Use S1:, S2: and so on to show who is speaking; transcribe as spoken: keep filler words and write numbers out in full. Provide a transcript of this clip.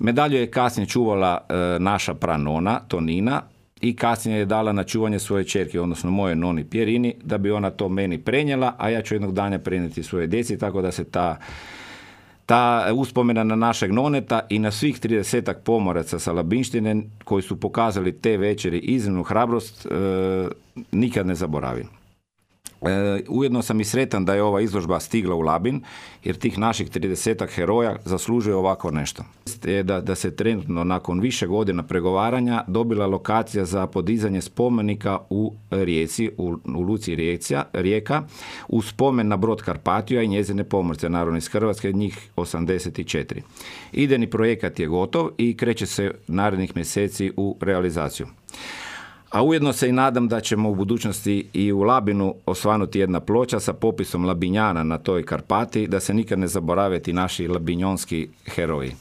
S1: Medalju je kasnije čuvala e, naša pranona, Tonina, i kasnije je dala na čuvanje svoje ćerke, odnosno moje noni Pjerini, da bi ona to meni prenijela, a ja ću jednog dana prenijeti svoje djeci, tako da se ta, ta uspomena na našeg noneta i na svih tridesetak pomoraca sa Labinštine koji su pokazali te večeri iznimnu hrabrost, e, nikad ne zaboravim. E, ujedno sam i sretan da je ova izložba stigla u Labin, jer tih naših tridesetak heroja zaslužuje ovako nešto. Je da, da se trenutno nakon više godina pregovaranja dobila lokacija za podizanje spomenika u Rijeci, u, u Luci Rijeka, Rijeka, u spomen na brod Karpatija i njezine pomorce, naravno iz Hrvatske, njih osamdeset četiri. Idejni projekat je gotov i kreće se narednih mjeseci u realizaciju. A ujedno se i nadam da ćemo u budućnosti i u Labinu osvanuti jedna ploča sa popisom Labinjana na toj Karpati, da se nikad ne zaborave ti naši labinjonski heroji.